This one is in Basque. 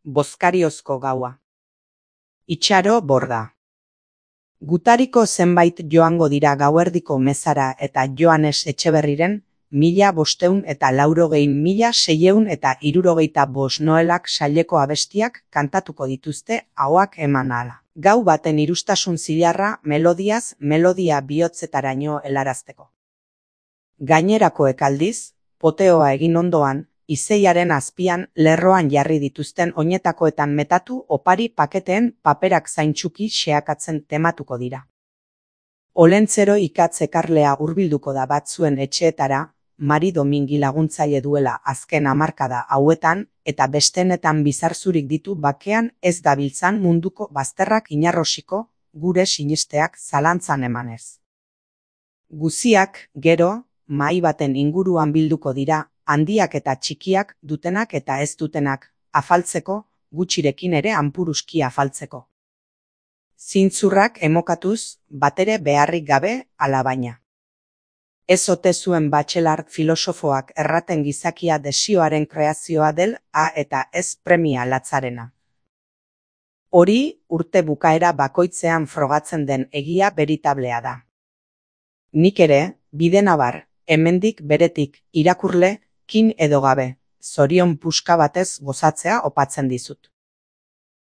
Bozkariozko gaua. Itxaro borda. Gutariko zenbait joango dira gauerdiko mezara eta Joanes Etxeberriren 1596,675 Noelak saileko abestiak kantatuko dituzte ahoak eman ahala. Gau baten irustasun zilarra melodiaz melodia bihotzetaraino helarazteko. Gainerakoek aldiz, poteoa egin ondoan, izeiaren azpian lerroan jarri dituzten oinetakoetan metatu opari paketeen paperak zaintsuki xeakatzen tematuko dira. Olentzero ikatz ekarlea hurbilduko da batzuen etxeetara, Mari Domingi laguntzaile duela azken hamarkada hauetan eta bestenetan bizarzurik ditu bakean ez dabiltzan munduko bazterrak inarrosiko, gure sinisteak zalantzan emanez. Guziak, gero, mahai baten inguruan bilduko dira, handiak eta txikiak, dutenak eta ez dutenak, afaltzeko, gutxirekin ere hanpuruski afaltzeko. Zintzurrak emokatuz, batere beharrik gabe, alabaina. Ez ote zuen Bachelard filosofoak erraten gizakia desioaren kreazioa del eta ez premia latzarena. Hori, urte bukaera bakoitzean frogatzen den egia beritablea da. Nik ere, bidenabar, hemendik beretik, irakurle, kin edo gabe, zorion puska batez gozatzea opatzen dizut.